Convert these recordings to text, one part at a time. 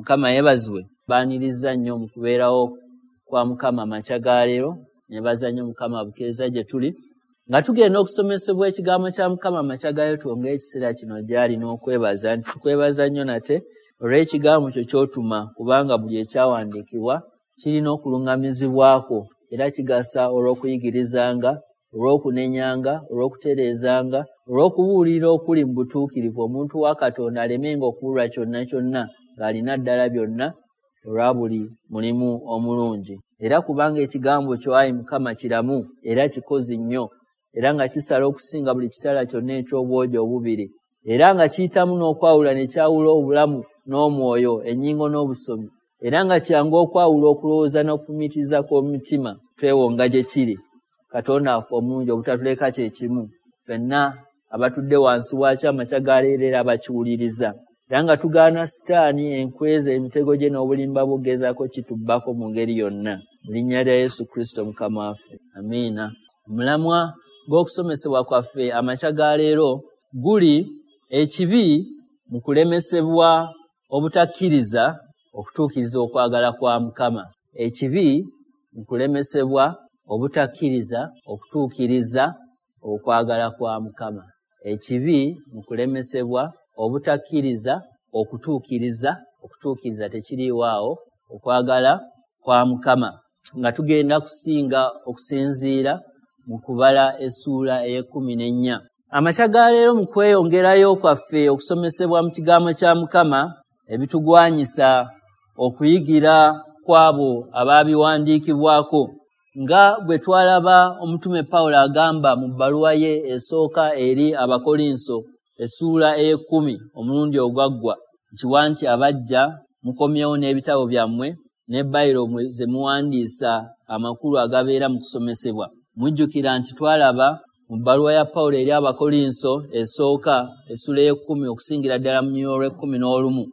Mukama yeebazibwe. Baaniriza nnyo mu kubeerawo kwa Mukama amakya ga leero. Nebaza nnyo Mukama abukeeza gye tuli nga tugenda okusomesebwa ekigambo kya Mukama amakya ga leero. Twongere ekiseera kino gy'ali n'okwebaza nti tukwebaza nnyo nate olw'ekigambo kyo ky'otuma, kubanga buli ekyawandiikibwa kirina okuluŋŋamizibwako era kigasa olw'okuyigirizanga, olw'okunenyanga, olw'okutereezanga, olw'okubuulira okuli mu butuukirivu, omuntu wa Katonda alemenga okubulwa kyonna kyonna ng'alina ddala byonna olwa buli mulimu omulungi. Era kubanga ekigambo kyo, ayi Mukama, kiramu era kikozi nnyo, era nga kisala okusinga buli kitala kyonna eky'obwogi obubiri, era nga kiyitamu n'okwawula ne kyawula obulamu n'omwoyo, ennyingo n'obusomi, era nga kyangu okwawula okulowooza n'okufumiitiriza kw'omutima. Twewonga gye kiri. Katonda waffe omulungi, obutatuleka kye kimu ffenna abatudde wansi waakyo amakya ga leero era abakiwuliriza, era nga tugaana Sitaani enkweza, emitego gye n'obulimba bw'ogezaako kitubbako mu ngeri yonna, mu linnya lya Yesu Kristo Mukama waffe, amiina. Omulamwa gw'okusomesebwa kwaffe amakya ga leero guli ekibi mu kulemesebwa obutakkiriza okutuukiriza okwagala kwa Mukama. Ekibi mu kulemesebwa obutakkiriza okutuukiriza okwagala kwa Mukama. Ekibi mu kulemesebwa obutakkiriza okutuukiriza, okutuukiriza tekiriiwo okwagala kwa Mukama. Nga tugenda kusinga okusinziira mu kubala essuula ey'e14. Amakya ga leero mu kweyongerayo kwaffe okusomesebwa mu kigambo kya Mukama ebitugwanyisa okuyigira kw'abo abaabiwandiikibwako, nga bwe twalaba omutume Pawulo agamba mu bbaluwa ye esooka eri Abakolinso essuula ey'e10 omulundi ogwaggwa, nkiwa nti abajja mukomyewo n'ebitabo byammwe ne bayiro ze muwandiisa amakulu agabeera mu kusomesebwa. Mujjukira nti twalaba mu bbaluwa ya Pawulo eri Abakolinso esooka essuula ey'e10 okusingira ddala mu lunyiriri olw'e11,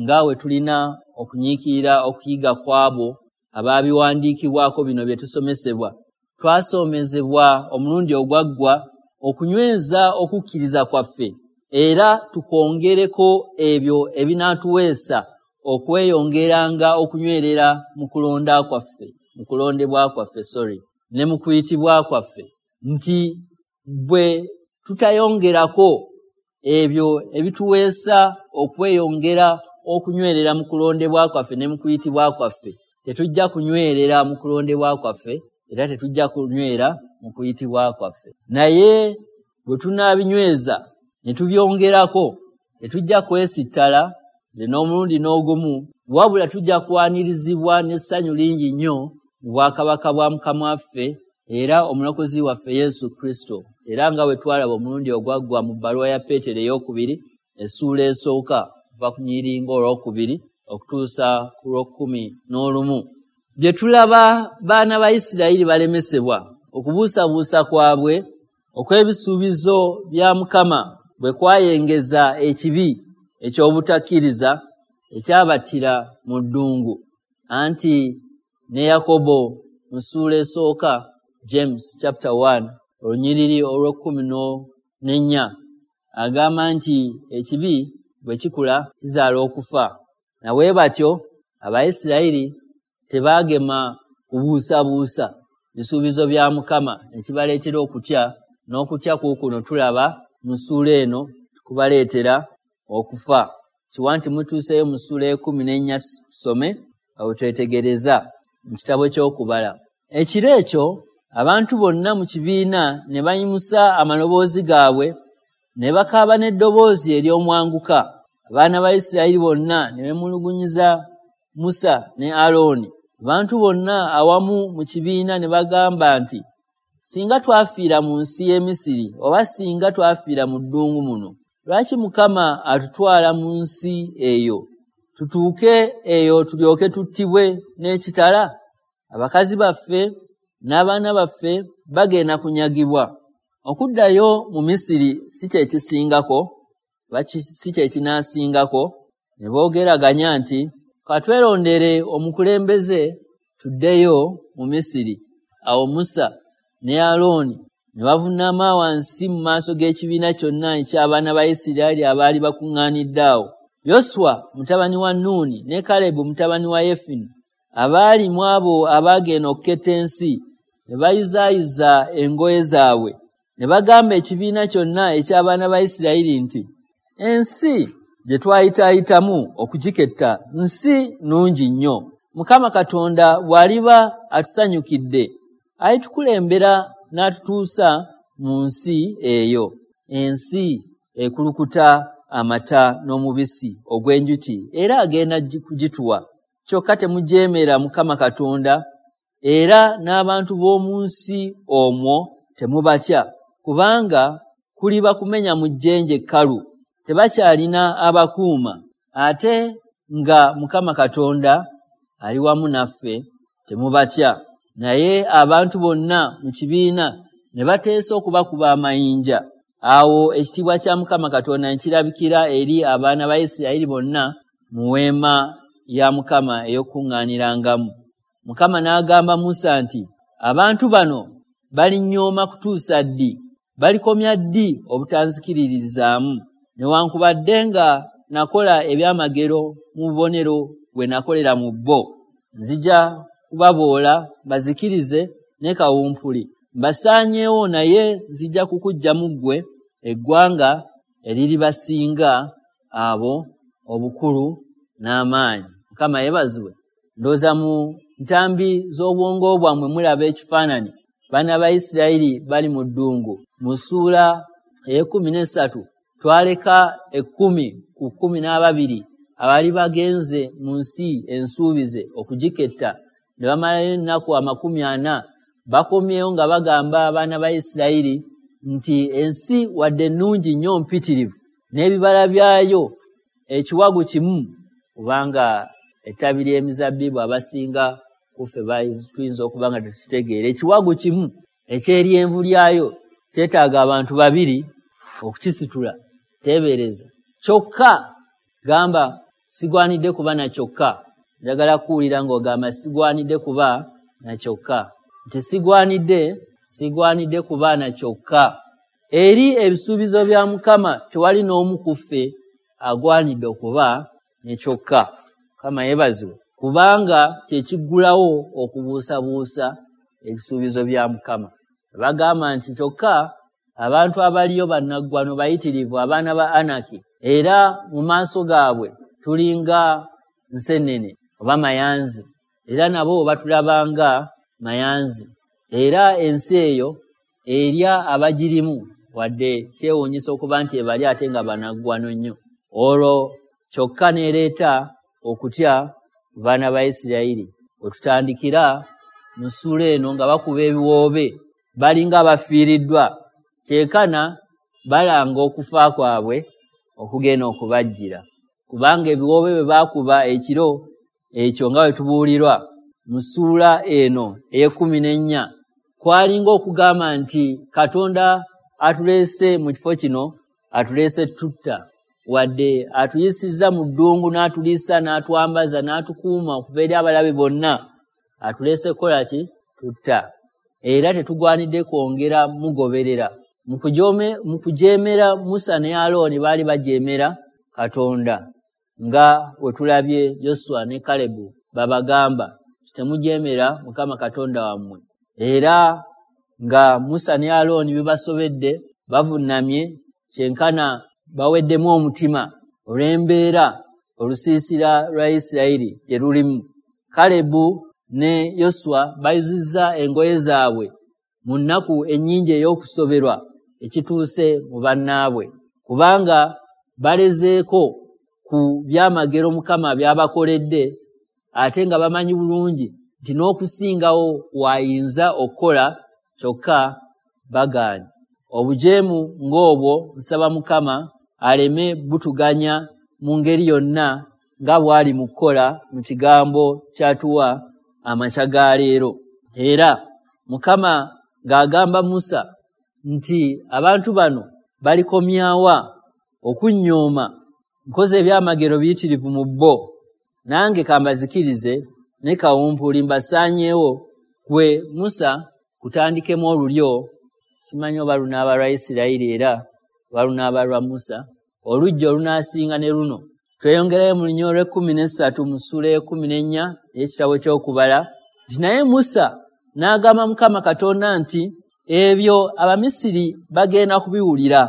nga we tulina okunyiikirira okuyiga kw'abo abaabiwandiikibwako bino bye tusomesebwa. Twasomezebwa omulundi ogwaggwa okunyweza okukkiriza kwaffe era tukwongereko ebyo ebinaatuweesa okweyongeranga okunywerera mu kulonda kwaffe, mu kulondebwa kwaffe, ne mu kuyitibwa kwaffe, nti bwe tutayongerako ebyo ebituweesa okweyongera okunywerera mu kulondebwa kwaffe ne mu kuyitibwa kwaffe, tetujja kunywerera mu kulondebwa kwaffe era tetujja kunywera mu kuyitibwa kwaffe. Naye bwe tunaabinyweza ne tubyongerako, tetujja kwesittala n'omulundi n'ogumu, wabula tujja kwanirizibwa n'essanyu lingi nnyo mu bwakabaka bwa Mukama waffe era omulokozi waffe Yesu Kristo. Era nga bwe twalaba omulundi ogwaggwa mu bbaluwa ya Peetero ey'okubiri essuula esooka okuva ku nyiringa olwokubiri okutuusa ku lw'e11, bye tulaba baana ba Isirayiri balemesebwa okubuusabuusa kwabwe okw'ebisuubizo bya Mukama bwe kwayengeza ekibi eky'obutakkiriza ekyabattira mu ddungu. Anti ne Yakobo mu ssuula esooka, James chapter 1 olunyiriri olw'e14, agamba nti ekibi bwe kikula kizaala okufa. Na bwe batyo Abayisirayiri tebaagema kubuusabuusa bisuubizo bya Mukama, ne kibaleetera okutya, n'okutya kuukuno tulaba mu ssuula eno kubaleetera okufa. Kiwa nti mutuuseeyo mu ssuula ey'e14, tusome awo twetegereza mu kitabo ky'okubala. Ekiro ekyo abantu bonna mu kibiina ne bayimusa amaloboozi gaabwe ne bakaaba n'eddoboozi ery'omwanguka. Abaana ba Isirayiri bonna ne beemulugunyiza Musa ne Alooni. Abantu bonna awamu mu kibiina ne bagamba nti, singa twafiira mu nsi y'e Misiri, oba singa twafiira mu ddungu muno, lwaki Mukama atutwala mu nsi eyo tutuuke eyo tulyoke tuttibwe n'ekitala? Abakazi baffe n'abaana baffe bagenda kunyagibwa. Okuddayo mu Misiri si kye kisingako, si kye kinaasingako. Ne boogeraganya nti, katwerondere omukulembeze tuddeyo mu Misiri. Awo Musa ne Alooni ne bavuunama wansi mu maaso g'ekibiina kyonna eky'abaana ba Isirayiri abaali bakuŋŋaanidde awo. Yoswa mutabani wa Nuuni ne Kalebu mutabani wa Yefune abaali mu abo abaagenda okuketta ensi ne bayuzaayuza engoye zaabwe ne bagamba ekibiina kyonna eky'abaana ba Isirayiri nti, ensi gye twayitaayitamu okugiketta nsi nnungi nnyo. Mukama Katonda bw'aliba atusanyukidde alitukulembera n'atutuusa mu nsi eyo, ensi ekulukuta amata n'omubisi ogw'enjuki, era agenda kugituwa. Kyokka temujeemera Mukama Katonda, era n'abantu b'omu nsi omwo temubatya, kubanga kuliba kumenya mu jjenje ekkalu, tebakyalina abakuuma, ate nga Mukama Katonda ali wamu naffe, temubatya. Naye abantu bonna mu kibiina ne bateesa okubakuba amayinja. Awo ekitiibwa kya Mukama Katonda ne kirabikira eri abaana ba Isirayiri bonna mu weema ya Mukama ey'okukuŋŋaanirangamu. Mukama n'agamba Musa nti, abantu bano balinnyooma kutuusa ddi? Balikomya ddi obutanzikiririzaamu? Newankubadde nga nakola ebyamagero mu bubonero bwe nakolera mu bo, nzija kubaboola mbazikirize ne kawumpuli, mbasaanyeewo, naye nzija kukuggyamu ggwe eggwanga eriribasinga abo obukulu n'amaanyi. Mukama yeebazibwe. Ndowooza mu ntambi z'obwongo bwammwe mulaba ekifaananyi. Baana ba Isirayiri bali mu ddungu. Mu ssuula ey'e13 twaleka 10 ku 12 abaali bagenze mu nsi ensuubize okugiketta ne bamalayo ennaku 40. Bakomyewo nga bagamba abaana ba Isirayiri nti ensi wadde nnungi nnyo mpitirivu n'ebibala byayo ekiwagu kimu, kubanga ettabi ly'emizabbibu abasinga kuffe tuyinza okuba nga tetukitegeera. Ekiwagu kimu eky'eryenvu lyayo kyetaaga abantu babiri okukisitula. Teebereza. Kyokka gamba sigwanidde kuba na kyokka. Njagala kuwulira ng'ogamba sigwanidde kuba na kyokka. Nti sigwanidde kuba na kyokka. Eri ebisuubizo bya Mukama tewali n'omu ku ffe agwanidde okuba ne kyokka. Mukama yeebazibwe, kubanga kye kiggulawo okubuusabuusa ebisuubizo bya Mukama. Bagamba nti kyokka abantu abaliyo bannaggwano bayitirivu, abaana ba Anaki, era mu maaso gaabwe tulinga nseenene oba mayanzi, era nabo batulabanga mayanzi. Era ensi eyo erya abagirimu, wadde kyewuunyisa okuba nti ebali ate nga bannaggwano nnyo. Olwo kyokka n'ereeta okutya ku baana ba Isirayiri. Wetutandikira mu ssuula eno nga bakuba ebiwoobe, balinga abafiiriddwa, kyekana balanga okufa kwabwe okugenda okubajjira, kubanga ebiwoobe bwe baakuba ekiro ekyo nga bwe tubuulirwa mu ssuula eno ey'e14, kwalinga okugamba nti Katonda atuleese mu kifo kino, atuleese tutta, wadde atuyisizza mu ddungu n'atuliisa n'atwambaza n'atukuuma okuva eri abalabe bonna, atuleese kukola ki? Tutta. Era tetugwanidde kwongera mugoberera. Mu kujeemera Musa ne Alooni baali bajeemera Katonda, nga we tulabye Yoswa ne Kalebu babagamba temujeemera Mukama Katonda wammwe. Era nga Musa ne Alooni bibasobedde, bavunnamye kyenkana baweddemu omutima olw'embeera olusiisira lwa Isirayiri gye lulimu. Kalebu ne Yoswa bayuzizza engoye zaabwe mu nnaku ennyingi ey'okusoberwa ekituuse mu bannaabwe, kubanga balezeeko ku byamagero Mukama by'abakoledde, ate nga bamanyi bulungi nti n'okusingawo w'ayinza okukola, kyokka bagaanye. Obujeemu ng'obwo nsaba Mukama aleme butuganya mu ngeri yonna nga bw'ali mu kukola mu kigambo ky'atuwa amakya ga leero. Era Mukama ng'agamba Musa nti abantu bano balikomyawa okunnyooma, nkoze ebyamagero biyitirivu mu bo, nange kambazikirize ne kawumpuli mbasaanyeewo. Gwe Musa kutandikemu olulyo, simanyi oba lunaaba lwa Isirayiri era oba lunaaba lwa Musa, oluggya olunaasinga ne luno. Tweyongerayo mu lunyiriri olw'ekkumi n'essatu mu ssuula ey'ekkumi n'ennya ey'ekitabo ky'Okubala nti, naye Musa n'agamba Mukama Katonda nti, ebyo Abamisiri bagenda kubiwulira,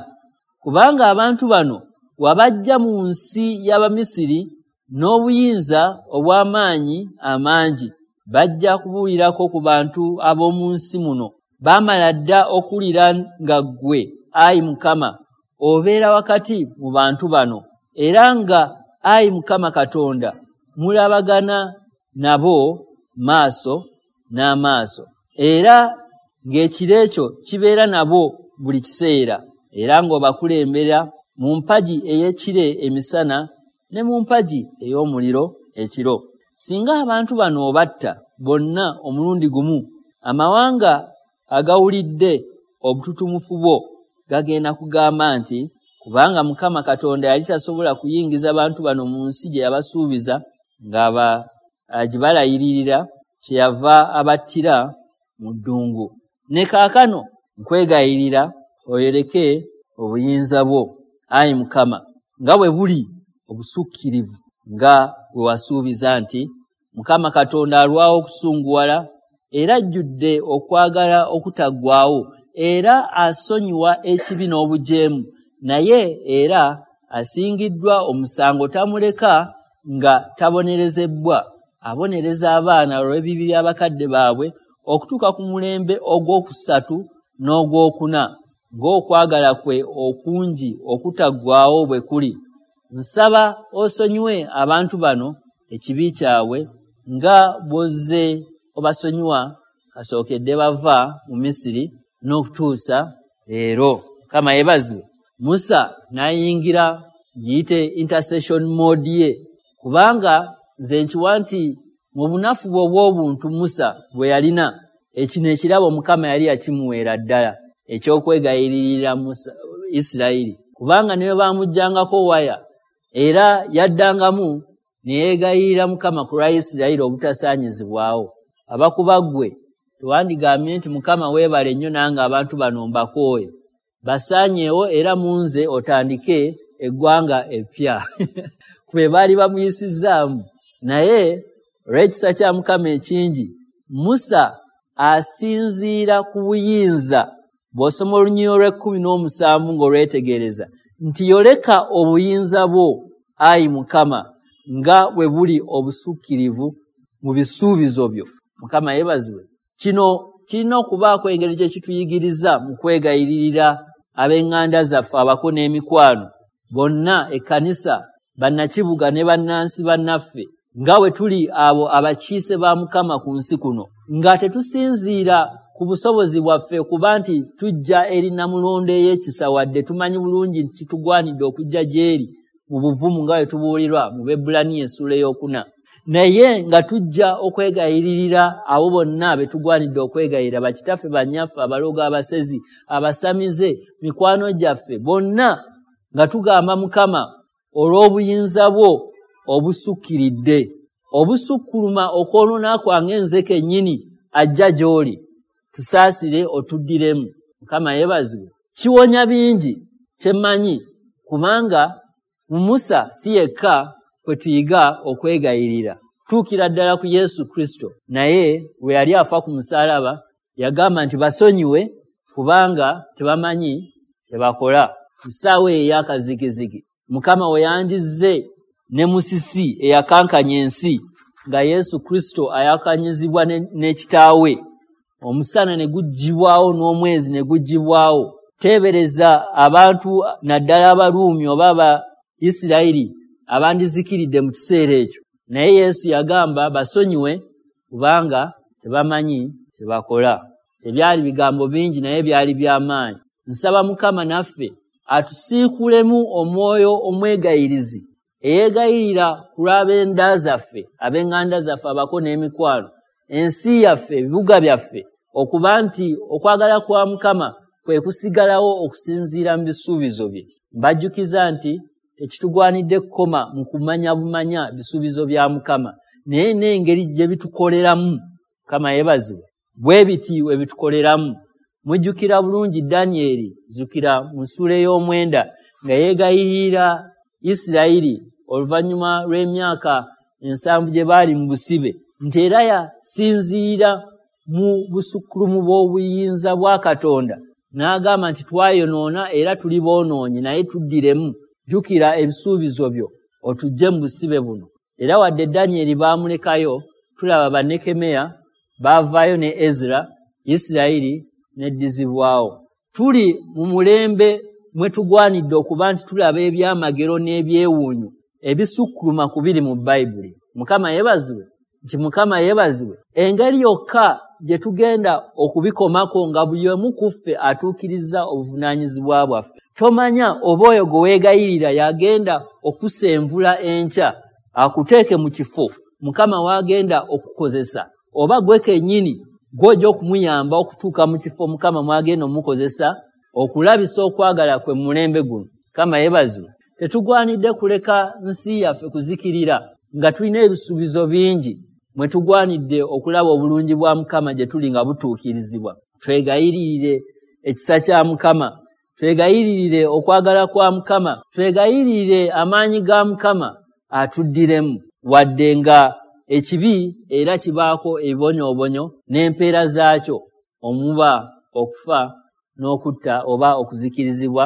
kubanga abantu bano wabajja mu nsi y'Abamisiri n'obuyinza obw'amaanyi amangi. Bajja kubuulirako ku bantu ab'omu nsi muno. Baamala dda okuwulira nga ggwe, ayi Mukama, obeera wakati mu bantu bano, era nga, ayi Mukama Katonda, mulabagana nabo maaso n'amaaso, era ng'ekiro ekyo kibeera nabo buli kiseera, era ng'obakulembera mu mpagi ey'ekire emisana ne mu mpagi ey'omuliro ekiro. Singa abantu bano obatta bonna omulundi gumu, amawanga agawulidde obututumufu bwo gagenda kugamba nti, kubanga Mukama Katonda yali tasobola kuyingiza bantu bano mu nsi gye yabasuubiza ng'agibalayirira, kyeyava abattira mu ddungu. Ne kaakano nkwegayirira oyoleke obuyinza bwo, ayi Mukama, nga bwe buli obusukkirivu, nga bwe wasuubiza nti Mukama Katonda alwawo okusunguwala era ajjudde okwagala okutaggwaawo, era asonyiwa ekibi n'obujeemu, naye era asingiddwa omusango tamuleka nga tabonerezebbwa, abonereza abaana olw'ebibi by'abakadde baabwe okutuuka ku mulembe ogwokusatu n'ogwokuna, ng'okwagala kwe okungi okutaggwaawo bwe kuli. Nsaba osonyiwe abantu bano ekibi kyabwe nga bw'ozze obasonyiwa kasookedde bava mu Misiri n'okutuusa leero. Mukama yeebazibwe. Musa n'ayingira giyite intercession mode ye, kubanga nze nkiwa nti mu bunafu bwe obw'obuntu Musa bwe yalina, ekino ekirabo Mukama yali yakimuweera ddala eky'okwegayiririra Musa Isirayiri, kubanga ne bwe baamuggyangako waya era yaddangamu ne yeegayirira Mukama ku lwa Isirayiri obutasaanyizibwawo. Abakuba ggwe tewandigambye nti, Mukama weebale nnyo, nange abantu bano mbakooye, basaanyeewo, era mu nze otandike eggwanga eppya, kwe baali bamuyisizzaamu. Naye olw'ekisa kya Mukama ekingi, Musa asinziira ku buyinza. Bw'osoma olunyiriri olw'ekkumi n'omusanvu ng'olwetegereza nti, yoleka obuyinza bwo, ayi Mukama, nga bwe buli obusukkirivu mu bisuubizo byo. Mukama yeebazibwe. Kino kirina okubaako engeri gye kituyigiriza mu kwegayiririra ab'eŋŋanda zaffe, abako n'emikwano bonna, ekkanisa, bannakibuga ne bannansi bannaffe, nga bwe tuli abo abakiise ba Mukama ku nsi kuno, nga tetusinziira ku busobozi bwaffe kuba nti tujja eri namulondo ey'ekisa, wadde tumanyi bulungi nti kitugwanidde okujja gy'eri mu buvumu nga bwe tubuulirwa mu Bebbulaniya essuula ey'okuna, naye nga tujja okwegayiririra abo bonna be tugwanidde okwegayirira, bakitaffe, bannyaffe, abalogo, abasezi, abasamize, mikwano gyaffe bonna, nga tugamba Mukama, olw'obuyinza bwo obusukkiridde obusukkuluma okwonoona kwange nze kennyini ajja gy'oli, tusaasire otuddiremu. Mukama yeebazibwe. Kiwonya bingi kyemmanyi, kubanga mu Musa si yekka kwe tuyiga okwegayirira, tuukira ddala ku Yesu Kristo. Naye bwe yali afa ku musaalaba yagamba nti, basonyiwe kubanga tebamanyi kye bakola. Mu ssaawa eyo ey'akazigizigi, Mukama we yandizze ne musisi eyakankanya ensi, nga Yesu Kristo ayakanyizibwa ne kitaawe, omusana ne guggyibwawo n'omwezi ne guggyibwawo. Teebereza abantu, naddala Abaruumi oba Abaisirayiri, abandizikiridde mu kiseera ekyo. Naye Yesu yagamba, basonyiwe kubanga tebamanyi kye bakola. Tebyali bigambo bingi, naye byali by'amaanyi. Nsaba Mukama naffe atusiikulemu omwoyo omwegayirizi eyeegayirira ku lw'ab'enda zaffe, ab'eŋŋanda zaffe, abako n'emikwano, ensi yaffe, ebibuga byaffe, okuba nti okwagala kwa Mukama kwe kusigalawo okusinziira mu bisuubizo bye. Mbajjukiza nti tekitugwanidde kukoma mu kumanya bumanya bisuubizo bya Mukama, naye n'engeri gye bitukoleramu. Mukama yeebazibwe. Bwe biti we bitukoleramu. Mujjukira bulungi Danyeri, zukira mu ssuula ey'omwenda, nga yeegayirira Isirayiri oluvannyuma lw'emyaka 70 gye baali mu busibe, nti era yasinziira mu busukkulumu bw'obuyinza bwa Katonda n'agamba nti twayonoona era tuli boonoonyi, naye tuddiremu, jjukira ebisuubizo byo otuggye mu busibe buno. Era wadde Danyeri baamulekayo, tulaba Bannekemeya baavaayo ne Ezra, Isirayiri n'eddizibwawo. Tuli mu mulembe mwe tugwanidde okuba nti tulaba ebyamagero n'ebyewuunyo ebisukkuluma ku biri mu Bayibuli. Mukama yeebazibwe, nti Mukama yeebazibwe. Engeri yokka gye tugenda okubikomako nga buli omu ku ffe atuukiriza obuvunaanyizibwa bwaffe. Tomanya oba oyo gwe weegayirira yagenda okusenvula enkya akuteeke mu kifo Mukama w'agenda okukozesa, oba gwe kennyini gw'ojja okumuyamba okutuuka mu kifo Mukama mw'agenda omukozesa okulabisa okwagala kwe mu mulembe guno. Mukama yeebazibwe. Tetugwanidde kuleka nsi yaffe kuzikirira nga tulina ebisuubizo bingi mwe tugwanidde okulaba obulungi bwa Mukama gye tuli nga butuukirizibwa. Twegayirire ekisa kya Mukama, twegayiririre okwagala kwa Mukama, twegayirire amaanyi ga Mukama atuddiremu, wadde nga ekibi era kibaako ebibonyoobonyo n'empeera zaakyo, omuba okufa n'okutta oba okuzikirizibwa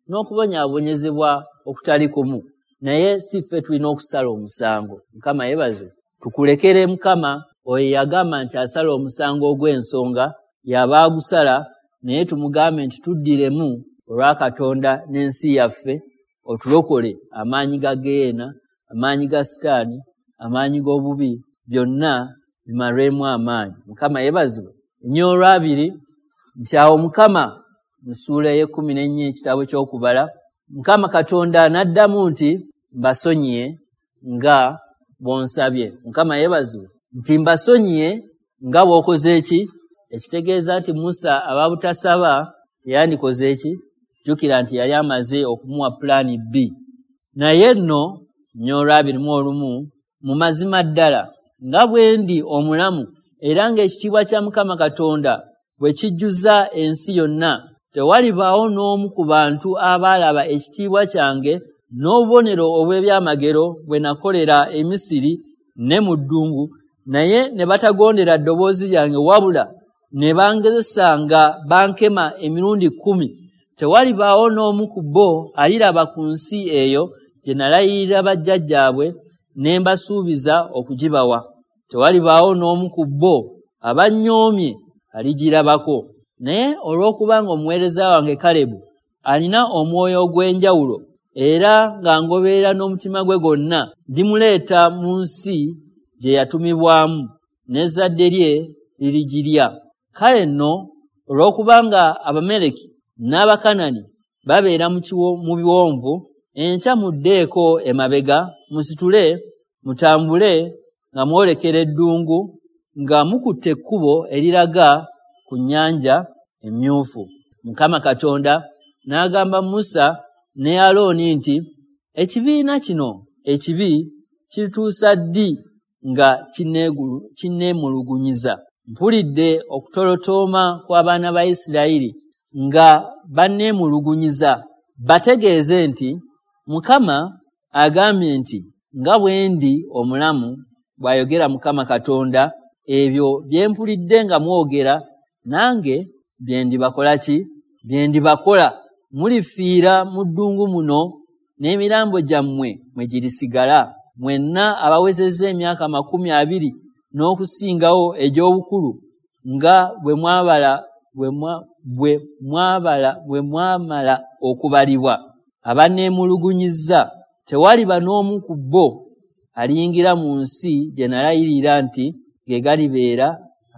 n'okubonyaabonyezebwa okutali kumu. Naye si ffe tulina okusala omusango. Mukama yeebazibwe. Tukulekere Mukama oyo yagamba nti asala omusango ogw'ensonga, y'aba agusala, naye tumugambe nti tuddiremu olwa Katonda n'ensi yaffe, otulokole amaanyi ga Geyeena, amaanyi ga Sitaani, amaanyi g'obubi, byonna bimalwemu amaanyi. Mukama yeebazibwe. Nnyo olwabiri nti awo Mukama mu ssuula ey'e14 ekitabo ky'Okubala, Mukama Katonda n'addamu nti mbasonyiye nga bw'onsabye. Mukama yeebazibwe. Nti mbasonyiye nga bw'okoze eki, ekitegeeza nti Musa aba butasaba teyandikoze eki. Jjukira nti yali amaze okumuwa pulaani B. Naye nno nnyo olw'21, mu mazima ddala nga bwe ndi omulamu era ng'ekitiibwa kya Mukama Katonda bwe kijjuza ensi yonna, tewalibaawo n'omu ku bantu abaalaba ekitiibwa kyange n'obubonero obw'ebyamagero bwe nakolera e Misiri ne mu ddungu, naye ne batagondera ddoboozi lyange wabula ne bangezesa nga bankema emirundi 10. Tewalibaawo n'omu ku bo aliraba ku nsi eyo gye nalayirira bajjajjaabwe ne mbasuubiza okugibawa. Tewalibaawo n'omu ku bo abannyoomye aligirabako. Naye olw'okubanga omuweereza wange Kalebu alina omwoyo ogw'enjawulo era nga ngoberera n'omutima gwe gwonna, ndimuleeta mu nsi gye yatumibwamu, n'ezzadde lye lirigirya. Kale nno olw'okubanga Abameleki n'Abakanani babeera mu biwonvu, enkya muddeeko emabega, musitule mutambule nga mwolekera eddungu, nga mukutte ekkubo eriraga ku nnyanja Emmyufu. Mukama Katonda n'agamba Musa ne Alooni nti, ekibiina kino ekibi kirituusa ddi nga kinneemulugunyiza? Mpulidde okutolotooma kw'abaana ba Isirayiri nga banneemulugunyiza. Bategeeze nti Mukama agambye nti, nga bwe ndi omulamu, bw'ayogera Mukama Katonda, ebyo bye mpulidde nga mwogera nange bye ndibakola ki? Bye ndibakola. Mulifiira mu ddungu muno, n'emirambo gyammwe mwe girisigala. Mwenna abawezezza emyaka 20 n'okusingawo egy'obukulu, nga bwe mwamala okubalibwa, abanneemulugunyizza, tewaliba n'omu ku bo aliyingira mu nsi gye nalayirira nti ge galibeera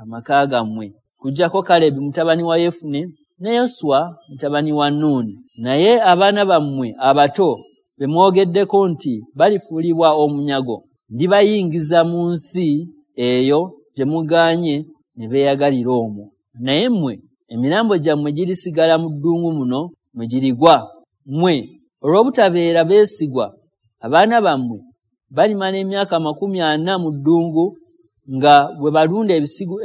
amaka gammwe, kuggyako Kalebu mutabani wa Yefune ne Yoswa mutabani wa Nuuni. Naye abaana bammwe abato be mwogeddeko nti balifuulibwa omunyago, ndibayingiza mu nsi eyo gye mugaanye ne beeyagalira omwo. Naye mmwe emirambo gyammwe girisigala mu ddungu muno mwe girigwa. Mmwe olw'obutabeera beesigwa, abaana bammwe balimala emyaka 40 mu ddungu nga bwe balunda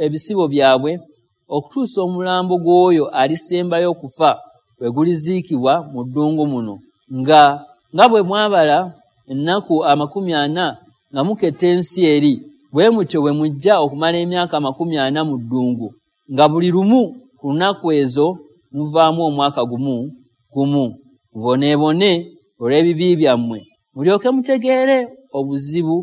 ebisibo byabwe, okutuusa omulambo gw'oyo alisembayo okufa bwe guliziikibwa mu ddungu muno. Nga bwe mwabala ennaku 40 nga muketta ensi eri, bwe mutyo bwe mujja okumala emyaka 40 mu ddungu, nga buli lumu ku lunaku ezo muvaamu omwaka gumu gumu. Muboneebone olw'ebibi byammwe, mulyoke mutegeere obuzibu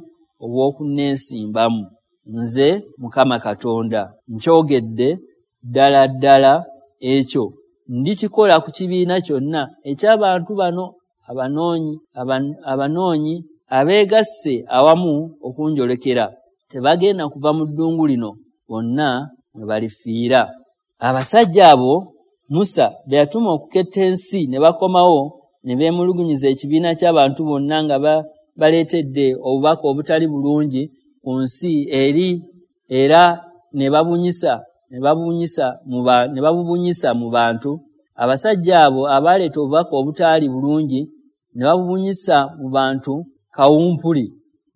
obw'okunneesimbamu. Nze Mukama Katonda nkyogedde, ddala ddala ekyo ndikikola ku kibiina kyonna eky'abantu bano abanoonyi abeegasse awamu okunjolekera. Tebagenda kuva mu ddungu lino, bonna mwe balifiira. Abasajja abo Musa be yatuma okuketta ensi ne bakomawo ne beemulugunyiza ekibiina ky'abantu bonna nga baleetedde obubaka obutali bulungi ku nsi eri, era ne babubunyisa mu bantu. Abasajja abo abaleeta obubaka obutaali bulungi ne babubunyisa mu bantu kawumpuli,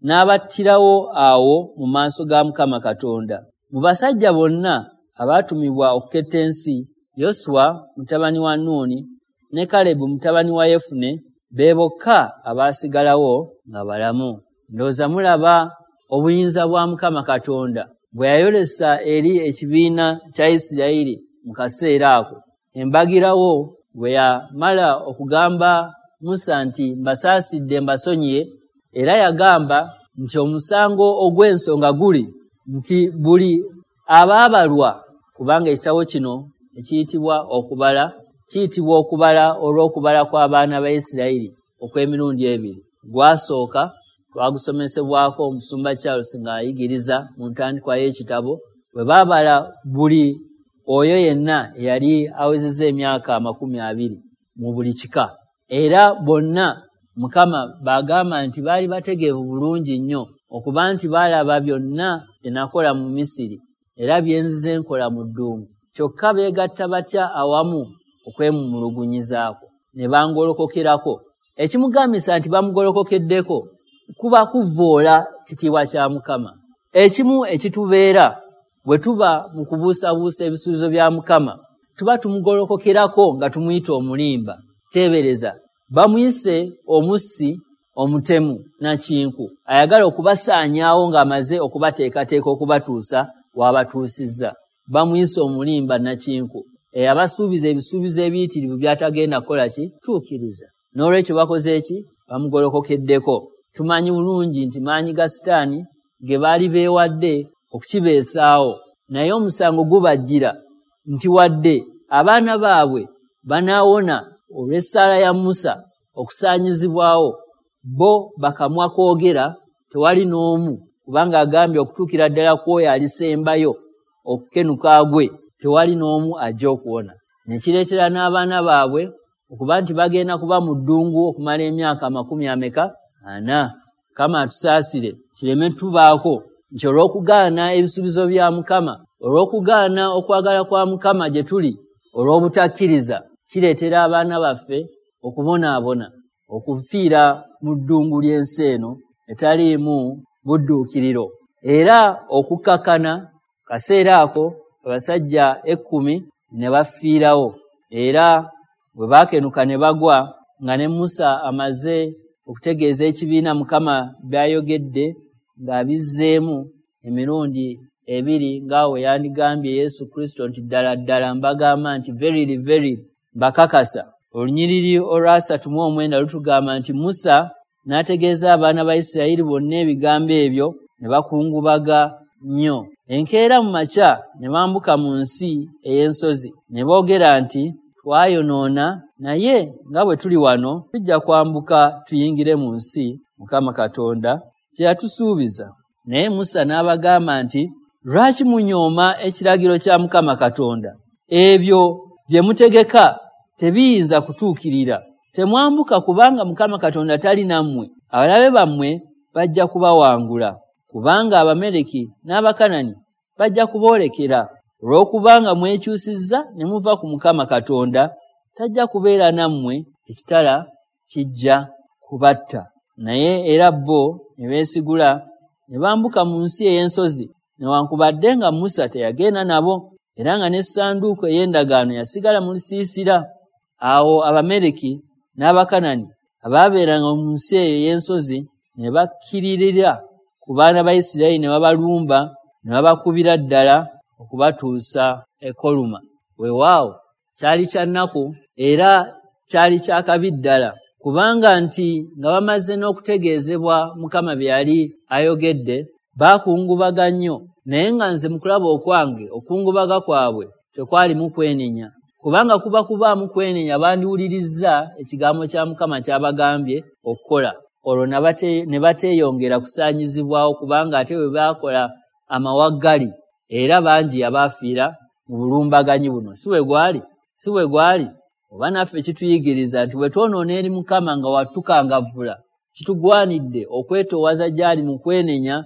n'abattirawo awo mu maaso ga Mukama Katonda. Mu basajja bonna abaatumibwa okuketta ensi, Yoswa mutabani wa Nuuni ne Kalebu mutabani wa Yefune be bokka abaasigalawo nga balamu. Ndowooza mulaba obuyinza bwa Mukama Katonda bwe yayolesa eri ekibiina kya Isirayiri mu kaseera ako. Embagirawo bwe yamala okugamba Musa nti mbasaasidde mbasonyiye, era yagamba nti omusango ogw'ensonga guli nti buli abaabalwa, kubanga ekitabo kino ekiyitibwa okubala kiyitibwa okubala olw'okubala kw'abaana ba Isirayiri okw'emirundi ebiri. Gwasooka twagusomesebwako omusumba Charles ng'ayigiriza mu ntandikwa y'ekitabo, bwe baabala buli oyo yenna eyali awezezza emyaka 20 mu buli kika. Era bonna Mukama bagamba nti baali bategeevu bulungi nnyo okuba nti baalaba byonna bye nakola mu Misiri era bye nzize nkola mu ddungu. Kyokka beegatta batya awamu okwemulugunyizaako ne bangolokokerako. Ekimugambisa nti bamugolokokeddeko kuba kuvvoola kitiibwa kya Mukama. Ekimu ekitubeera bwe tuba mu kubuusabuusa ebisuubizo bya Mukama, tuba tumugolokokerako nga tumuyita omulimba. Teebereza, bamuyise omussi, omutemu nakinku, ayagala okubasaanyaawo ng'amaze okubateekateeka okubatuusa w'abatuusizza. Bamuyise omulimba nakinku eyabasuubiza ebisuubizo ebiyitirivu by'atagenda kukola ki? Tuukiriza. N'olwekyo bakoze ki? Bamugolokokeddeko. Tumanyi bulungi nti maanyi ga Sitaani ge baali beewadde okukibeesaawo, naye omusango gubajjira nti wadde abaana baabwe banaawona olw'essaala ya Musa okusaanyizibwawo, bo bakamwa koogera tewali n'omu, kubanga agambye okutuukira ddala kw'oyo alisembayo okukenuka gwe tewali n'omu ajja okuwona. Ne kireetera n'abaana baabwe okuba nti bagenda kuba mu ddungu okumala emyaka 40. Mukama atusaasire kireme tubaako nti olw'okugaana ebisuubizo bya Mukama, olw'okugaana okwagala kwa Mukama gye tuli, olw'obutakkiriza, kireetera abaana baffe okubonaabona, okufiira mu ddungu ly'ensi eno etaliimu budduukiriro. Era okukakkana kaseera ako abasajja 10 ne bafiirawo, era bwe baakenuka ne bagwa, nga ne Musa amaze okutegeeza ekibiina Mukama by'ayogedde ng'abizzeemu emirundi ebiri, nga we yandigambye Yesu Kristo nti ddala ddala mbagamba nti verily verily mbakakasa. Olunyiriri olwa 39 lutugamba nti Musa n'ategeeza abaana ba Isirayiri bonna ebigambo ebyo, ne bakungubaga nnyo. Enkeera mu makya ne bambuka mu nsi ey'ensozi, ne boogera nti twayonoona, naye nga bwe tuli wano tujja kwambuka tuyingire mu nsi Mukama Katonda kye yatusuubiza. Naye Musa n'abagamba nti lwaki munyooma ekiragiro kya Mukama Katonda? Ebyo bye mutegeka tebiyinza kutuukirira. Temwambuka, kubanga Mukama Katonda tali nammwe. Abalabe bammwe bajja kubawangula, kubanga Abameleki n'Abakanani bajja kuboolekera. Olw'okubanga mwekyusizza ne muva ku Mukama Katonda, tajja kubeera nammwe, ekitala kijja kubatta. Naye era bo ne beesigula ne bambuka mu nsi ey'ensozi, newankubadde nga Musa teyagenda nabo, era nga n'essanduuko ey'endagaano yasigala mu lusiisira. Awo Abameleki n'Abakanani Abaabeeranga mu nsi eyo ey'ensozi ne bakkiririra ku baana ba Isirayiri ne babalumba ne babakubira ddala okubatuusa e Koluma. Weewaawo kyali kya nnaku era kyali kya kabi ddala, kubanga nti nga bamaze n'okutegeezebwa Mukama bye yali ayogedde, baakungubaga nnyo. Naye nga nze mu kulaba okwange okungubaga kwabwe tekwalimu kwenenya, kubanga kuba kubaamu kwenenya bandiwulirizza ekigambo kya Mukama ky'abagambye okukola, olwo ne bateeyongera kusaanyizibwawo, kubanga ate bwe baakola amawaggali era bangi abaafiira mu bulumbaganyi buno. Si bwe gwali? Si bwe gwali? Oba naffe kituyigiriza nti bwe twonoona eri Mukama nga watukangavvula, kitugwanidde okwetoowaza gy'ali mu kwenenya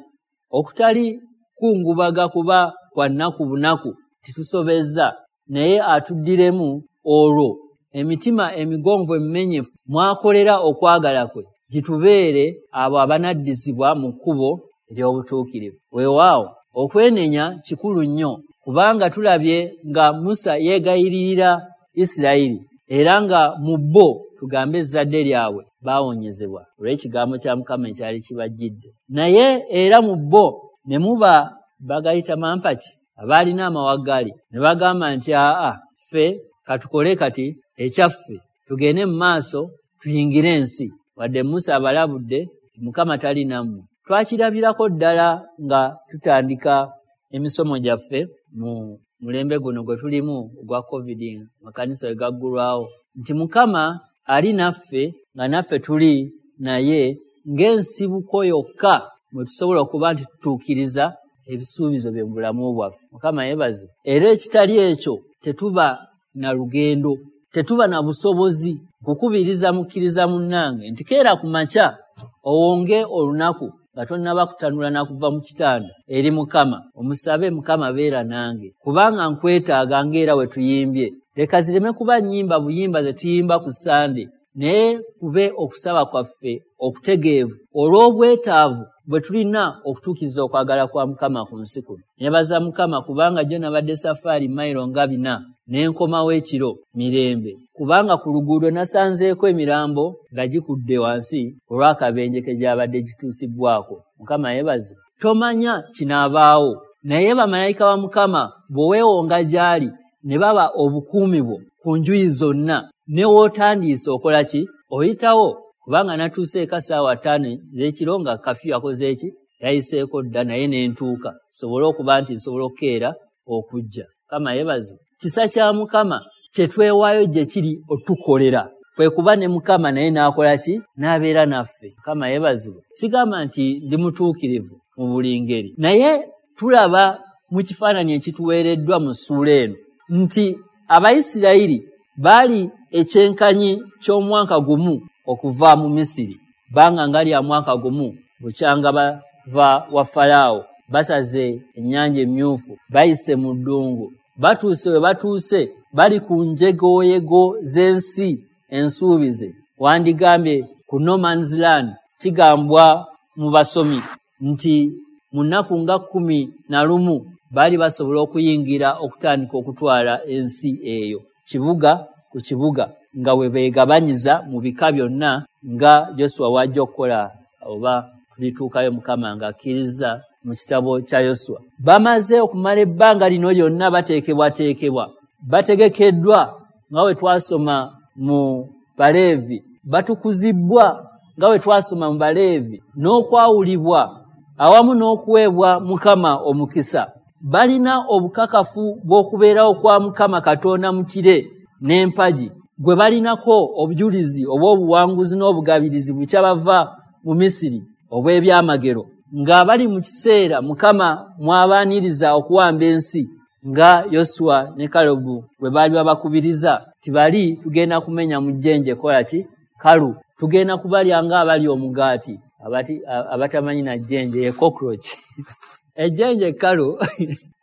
okutali kungubaga kuba kwa nnaku bunaku titusobezza, naye atuddiremu, olwo emitima emigonvu emimenyefu mwakolera okwagala kwe gitubeere abo abanaddizibwa mu kkubo ery'obutuukirivu. Weewaawo okwenenya kikulu nnyo, kubanga tulabye nga Musa yeegayiririra Isirayiri, era nga mu bo tugambe ezzadde lyabwe baawonyezebwa olw'ekigambo kya Mukama ekyali kibajjidde. Naye era mu bo ne muba bagayita mampaki abaalina amawaggali ne bagamba nti aa, ffe katukole kati ekyaffe, tugende mu maaso tuyingire ensi. Wadde Musa abalabudde nti Mukama tali nammwe. Twakirabirako ddala nga tutandika emisomo gyaffe mu mulembe guno gwe tulimu ogwa COVID, amakanisa we gaggulwawo, nti Mukama ali naffe nga naffe tuli naye ng'ensibuko yokka mwe tusobola okuba nti tutuukiriza ebisuubizo bye mu bulamu bwaffe. Mukama yeebazibwe. Era ekitali ekyo tetuba na lugendo, tetuba na busobozi. Nkukubiriza mukkiriza munnange nti keera ku makya owonge olunaku nga tonnaba kutanula na kuva mu kitanda eri Mukama, omusabe Mukama beera nange, kubanga nkwetaaga ng'era we tuyimbye. Leka zireme kuba nnyimba buyimba ze tuyimba ku Ssande, naye kube okusaba kwaffe okutegeevu olw'obwetaavu bwe tulina okutuukiriza okwagala kwa Mukama ku nsi kuno. Nebaza Mukama kubanga jjo nabadde safaari mayiro nga 4 ne nkomawo ekiro mirembe, kubanga ku luguudo nasanzeeko emirambo nga gikudde wansi olw'akabenje ke gyabadde gituusibbwako. Mukama yeebazibwe. Tomanya kinaabaawo, naye bamalayika ba Mukama bw'oweewonga gy'ali ne baba obukuumi bwo ku njuyi zonna, ne w'otandiise okola ki? Oyitawo. Kubanga natuuse eka ssaawa 5 ez'ekiro nga kafiyu akoze ki? Yayiseeko dda, naye ne ntuuka nsobole okuba nti nsobola okukeera okujja. Mukama yeebazibwe. Kisa kya Mukama kye twewaayo gye kiri otukolera, kwe kuba ne Mukama naye n'akola ki? N'abeera naffe. Mukama yeebazibwe. Sigamba nti ndi mutuukirivu mu buli ngeri, naye tulaba mu kifaananyi ekituweereddwa mu ssuula eno nti Abayisirayiri baali ekyenkanyi ky'omwaka gumu okuva mu Misiri, bbanga nga lya mwaka gumu bukyanga bava wa Falaawo, basaze ennyanja emmyufu, bayise mu ddungu, batuuse we batuuse, bali ku njegoyego z'ensi ensuubize. Wandigambye ku no man's land. Kigambwa mu basomi nti mu nnaku nga 11 baali basobola okuyingira okutandika okutwala ensi eyo kibuga ku kibuga, nga we beegabanyiza mu bika byonna nga Yoswa w'ajja okukola, oba tulituukayo Mukama ng'akkiriza mu kitabo kya Yoswa. Bamaze okumala ebbanga lino lyonna bateekebwateekebwa, bategekeddwa nga bwe twasoma mu Baleevi, batukuzibbwa nga bwe twasoma mu Baleevi, n'okwawulibwa awamu n'okuweebwa Mukama omukisa. Balina obukakafu bw'okubeerawo kwa Mukama Katonda mu kire n'empagi, gwe balinako obujulizi obw'obuwanguzi n'obugabirizi bukya bava mu Misiri obw'ebyamagero, nga bali mu kiseera Mukama mw'abaaniriza okuwamba ensi, nga Yoswa ne Kalebu bwe baali babakubiriza nti bali tugenda kumenya mu jjenje kola ki? Kalu, tugenda kubalya ng'abali omugaati. Abatamanyi na jjenje ye cockroach. Ejjenje ekkalu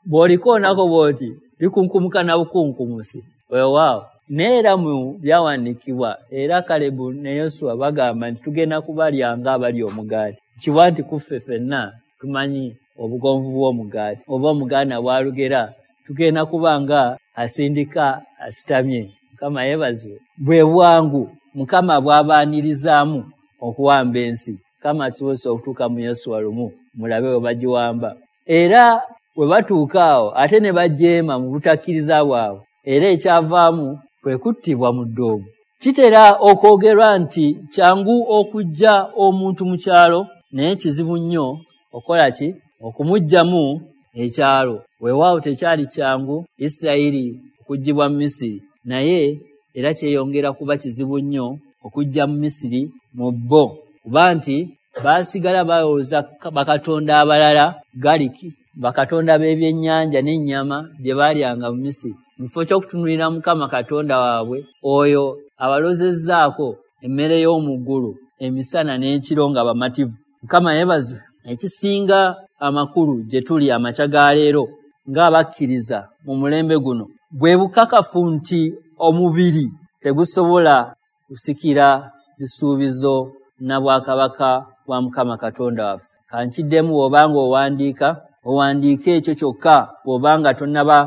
bw'olikoonako bw'oti likunkumuka na bukunkumusi. Weewaawo. Naye era mu byawandiikibwa era Kalebu ne Yoswa bagamba nti tugenda kubalya ng'abali omugaati. Kiwa nti ku ffe ffenna tumanyi obugonvu bw'omugaati, oba Omuganda bw'alugera tugenda kuba nga asindika asitamye. Mukama yeebazibwe. Bwe bwangu Mukama bw'abaanirizaamu okuwamba ensi. Mukama atusobozesa okutuuka mu Yosuwa lumu, mulabe bwe bagiwamba. Era bwe batuuka awo ate ne bajeema mu butakkiriza bwabwe, era ekyavaamu kwe kuttibwa mu ddoogo. Kitera okwogerwa nti kyangu okuggya omuntu mu kyalo, naye kizibu nnyo okukola ki? Okumuggyamu ekyalo. Weewaawo tekyali kyangu Isirayiri okuggyibwa mu Misiri, naye era kyeyongera kuba kizibu nnyo okuggya mu Misiri mu bo, kuba nti baasigala balowooza bakatonda abalala galiki, bakatonda b'ebyennyanja n'ennyama bye baalyanga mu Misiri, mu kifo ky'okutunuulira Mukama Katonda waabwe oyo abalozezzaako emmere y'omu ggulu emisana n'ekiro nga bamativu. Mukama yeebazibwe. Ekisinga amakulu gye tuli amakya ga leero ng'abakkiriza mu mulembe guno bwe bukakafu nti omubiri tegusobola kusikira bisuubizo na bwakabaka bwa Mukama Katonda waffe. Kankiddemu, bw'obanga owandiika, owandiike ekyo kyokka, bw'obanga tonnaba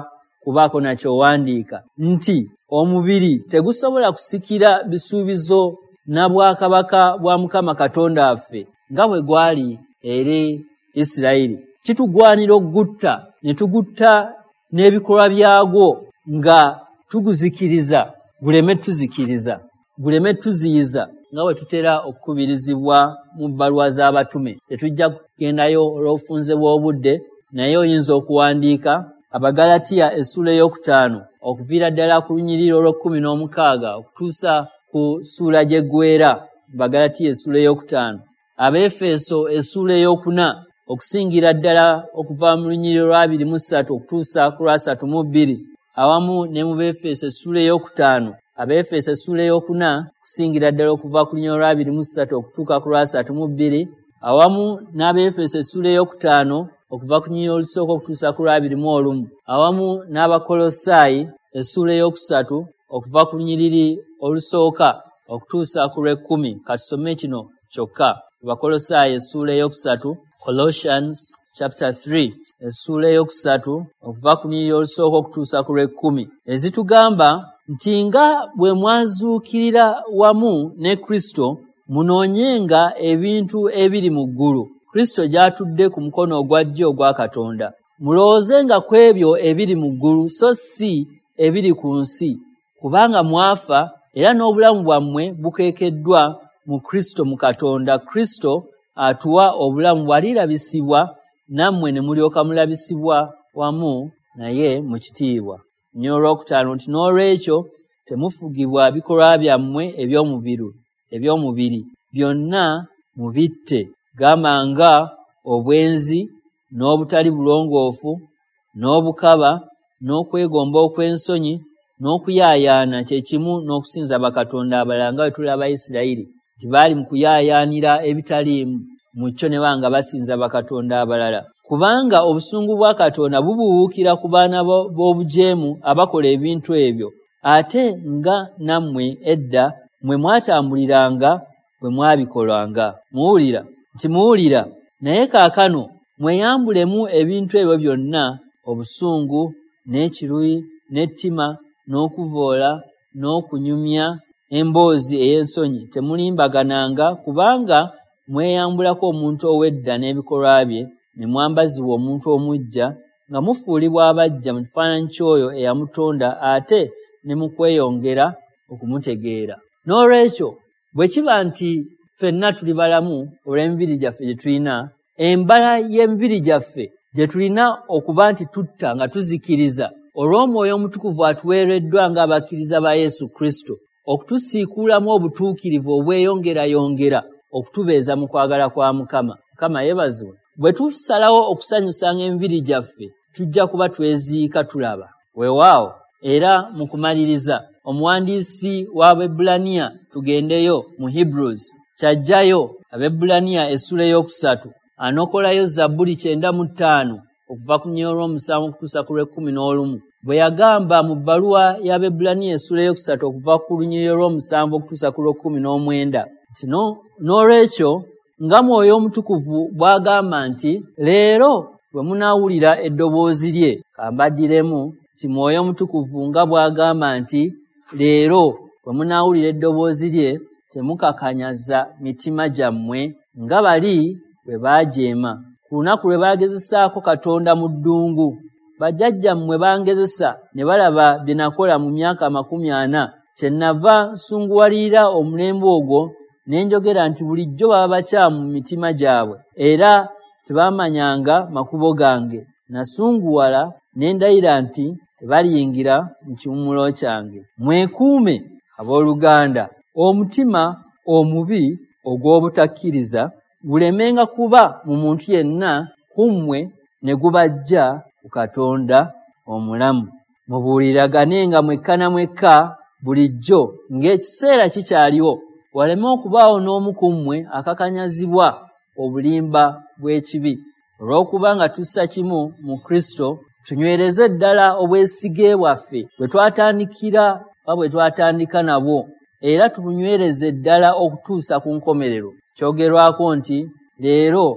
kubaako nakyowandiika, nti omubiri tegusobola kusikira bisuubizo na bwakabaka bwa Mukama Katonda waffe nga bwe gwali eri Isirayiri. Kitugwanira okugutta ne tugutta n'ebikolwa byagwo nga tuguzikiriza, guleme tuzikiriza, guleme tuziyiza, nga bwe tutera okukubirizibwa mu bbaluwa z'abatume. Tetujja kugendayo olw'obufunze bw'obudde, naye oyinza okuwandiika Abagalatiya essuula 5 okuviira ddala ku lunyiriri olw'e16 okutuusa ku ssuula gy'eggweera. Abagalatiya essuula 5, Abeefeso essuula 4 okusingira ddala okuva mu lunyiriri olwa 23 okutuusa ku lwa 32, awamu ne mu Beefeso essuula 5, Abeefeso essuula 4 okusingira ddala okuva ku lunyiriri olwa 23 okutuuka ku lwa 32, awamu n'Abeefeso essuula 5 okuva ku lunyiriri olusooka okutuusa ku lwa 21, awamu n'Abakolosaayi essuula 3 okuva ku lunyiriri olusooka okutuusa ku lw'e10. Katusome kino kyokka. Abakolosaayi essuula 3, Colossians chapter 3, essuula 3 okuva ku lunyiriri olusooka okutuusa ku lw'e10, ezitugamba nti nga bwe mwazuukirira wamu ne Kristo, munoonyenga ebintu ebiri mu ggulu, Kristo gy'atudde ku mukono ogwa ddyo ogwa Katonda. Mulowoozenga ku ebyo ebiri mu ggulu, so si ebiri ku nsi, kubanga mwafa era n'obulamu bwammwe bukeekeddwa mu Kristo mu Katonda. Kristo atuwa obulamu bw'alirabisibwa, nammwe ne mulyoka mulabisibwa wamu naye mu kitiibwa. Nnyo olwokutaano nti n'olwekyo temufugibwa bikolwa byammwe eby'omubiri, byonna mubitte, gamba nga obwenzi n'obutali bulongoofu n'obukaba n'okwegomba okw'ensonyi n'okuyaayaana, kye kimu n'okusinza bakatonda abalala, nga bwe tulaba Isirayiri nti baali mu kuyaayaanira ebitaliimu mu kyo ne banga basinza bakatonda abalala. Kubanga obusungu bwa Katonda bubuwuukira ku baana b'obujeemu abakola ebintu ebyo, ate nga nammwe edda mwe mwatambuliranga bwe mwabikolanga. Muwulira nti muwulira, naye kaakano mweyambulemu ebintu ebyo byonna, obusungu n'ekiruyi n'ettima n'okuvoola n'okunyumya emboozi ey'ensonyi. Temulimbagananga, kubanga mweyambulako omuntu ow'edda n'ebikolwa bye, ne mwambazibwa omuntu omuggya, nga mufuulibwa abaggya mu kifaananyi ky'oyo eyamutonda, ate ne mu kweyongera okumutegeera. N'olwekyo bwe kiba nti ffenna tuli balamu olw'emibiri gyaffe gye tulina, embala y'emibiri gyaffe gye tulina okuba nti tutta nga tuzikiriza olw'Omwoyo Omutukuvu atuweereddwa ng'abakkiriza ba Yesu Kristo, okutusiikuulamu obutuukirivu obweyongerayongera okutubeeza mu kwagala kwa Mukama. Mukama yeebazibwe. Bwe tusalawo okusanyusanga emibiri gyaffe, tujja kuba tweziika tulaba. Weewaawo, era mu kumaliriza, omuwandiisi w'Abaebbulaniya, tugendeyo mu Hebrews, kyajjayo Abaebbulaniya essuula 3, anokolayo Zabbuli 95 okuva ku lunyiriri olw'omusanvu okutuusa ku lw'e11. Bwe yagamba mu bbaluwa y'Abaebbulaniya essuula 3 okuva ku lunyiriri olw'omusanvu okutuusa ku lw'e19 nti n'olwekyo nga Mwoyo Omutukuvu bw'agamba nti leero bwe munaawulira eddoboozi lye, kambaddiremu nti Mwoyo Omutukuvu nga bw'agamba nti leero bwe munaawulira eddoboozi lye, temukakanyaza mitima gyammwe nga bali bwe baajeema ku lunaku lwe baagezesaako Katonda mu ddungu. Bajjajjammwe bangezesa ne balaba bye nakola mu myaka 40, kyennava nsunguwalirira omulembe ogwo ne njogera nti bulijjo baba bakyamu mu mitima gyabwe, era tebamanyanga makubo gange. Nasunguwala ne ndayira nti tebaliyingira mu kiwummulo kyange. Mwekuume abooluganda, omutima omubi ogw'obutakkiriza gulemenga kuba mu muntu yenna ku mmwe ne gubajja ku Katonda omulamu. Mubuuliraganenga mwekka na mwekka bulijjo ng'ekiseera kikyaliwo, waleme okubaawo n'omu ku mmwe akakanyazibwa obulimba bw'ekibi. Olw'okuba nga tussa kimu mu Kristo, tunywereze ddala obwesige bwaffe bwe twatandikira oba bwe twatandika nabwo, era tubunywereze ddala okutuusa ku nkomerero. Kyogerwako nti leero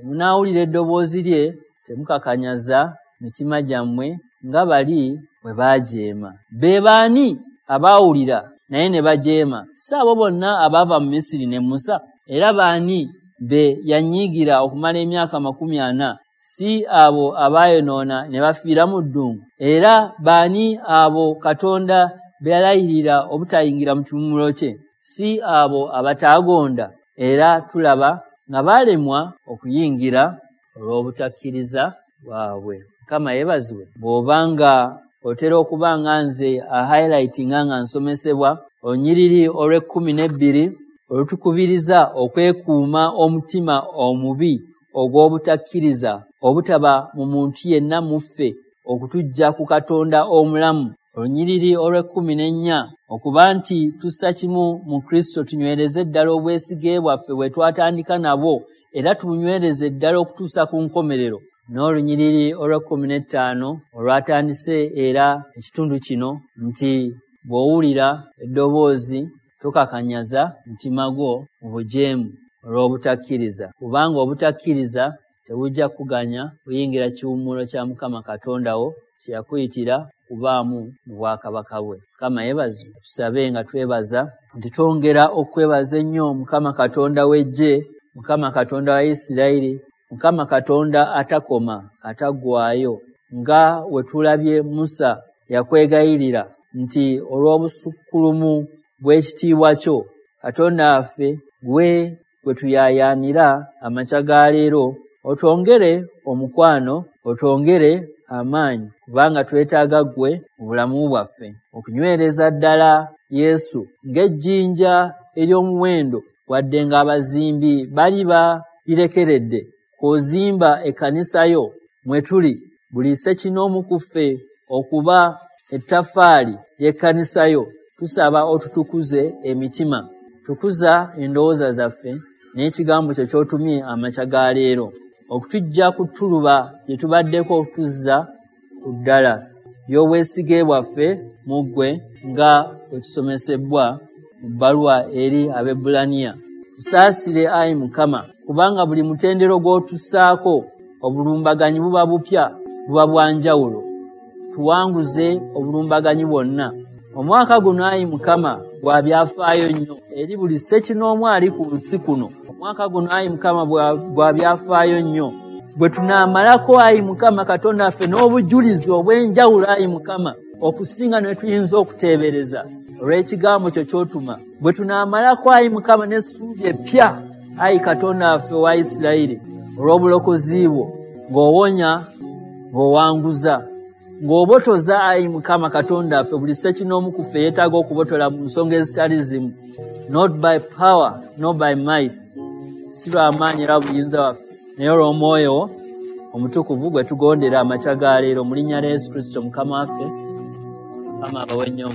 munaawulira eddoboozi lye, temukakanyaza mitima gyammwe nga bali bwe baajeema. Be baani abaawulira naye ne bajeema? Si abo bonna abaava mu Misiri ne Musa? Era baani be yanyiigira okumala emyaka 40? Si abo abaayonoona ne bafiira mu ddungu? Era baani abo Katonda be yalayirira obutayingira mu kiwummulo kye? Si abo abataagonda? Era tulaba nga baalemwa okuyingira olw'obutakkiriza bwabwe. Mukama yeebazibwe. Bw'obanga otera okuba nga nze ahighlightinga nga nsomesebwa olunyiriri olw'e12 olutukubiriza okwekuuma omutima omubi ogw'obutakkiriza obutaba mu muntu yenna mu ffe okutujja ku Katonda omulamu. Olunyiriri olw'e14 okuba nti tussa kimu mu Kristo, tunywereze ddala obwesige bwaffe bwe twatandika nabwo, era tubunywereze ddala okutuusa ku nkomerero. N'olunyiriri olw'e15 olwatandise era ekitundu kino nti bw'owulira eddoboozi tokakanyaza mutima gwo mu bujeemu olw'obutakkiriza, kubanga obutakkiriza tebujja kuganya kuyingira kiwummulo kya Mukama Katonda wo kye yakuyitira kubaamu mu bwakabaka bwe. Mukama yeebazibwe. Tusabe nga twebaza nti twongera okwebaza ennyo Mukama Katonda w'eggye, Mukama Katonda wa Isirayiri, Mukama Katonda atakoma ataggwaayo, nga we tulabye Musa yakwegayirira nti olw'obusukkulumu bw'ekitiibwa kyo, Katonda waffe gwe gwe tuyaayaanira amakya ga leero, otwongere omukwano, otwongere amaanyi, kubanga twetaaga ggwe mu bulamu bwaffe okunywereza ddala Yesu ng'ejjinja ery'omuwendo, wadde ng'abazimbi bali balirekeredde. Kw'ozimba ekkanisa yo mwe tuli, buli ssekinoomu ku ffe okuba ettaffaali ly'ekkanisa yo. Tusaba otutukuze emitima, tukuza endowooza zaffe n'ekigambo kyo ky'otumye amakya ga leero, okutujja ku ttuluba lye tubaddeko okutuzza ku ddala ly'obwesige bwaffe mu ggwe nga bwe tusomesebbwa mu bbaluwa eri Abaebbulaniya. Tusaasire ayi Mukama, kubanga buli mutendero gw'otussaako obulumbaganyi buba bupya, buba bwa njawulo. Tuwanguze obulumbaganyi bwonna. Omwaka guno ayi Mukama gwa byafaayo nnyo eri buli ssekinoomu ali ku nsi kuno. Omwaka guno ayi Mukama gwa byafaayo nnyo bwe tunaamalako ayi Mukama Katonda waffe n'obujulizi obw'enjawulo ayi Mukama okusinga ne tuyinza okuteebereza olw'ekigambo kyo ky'otuma. Bwe tunaamalako ayi Mukama n'essuubi eppya ayi Katonda waffe owa Isirayiri olw'obulokozi bwo, ng'owonya, ng'owanguza, ng'obotoza ayi Mukama Katonda waffe buli ssekinoomu ku ffe yeetaaga okubotola mu nsonga ezitali zimu. Not by power, not by might, si lwa maanyi era buyinza waffe, naye olw'omwoyo omutukuvu gwe tugondera amakya ga leero mu linnya lya Yesu Kristo Mukama waffe. Mukama abawe nnyo.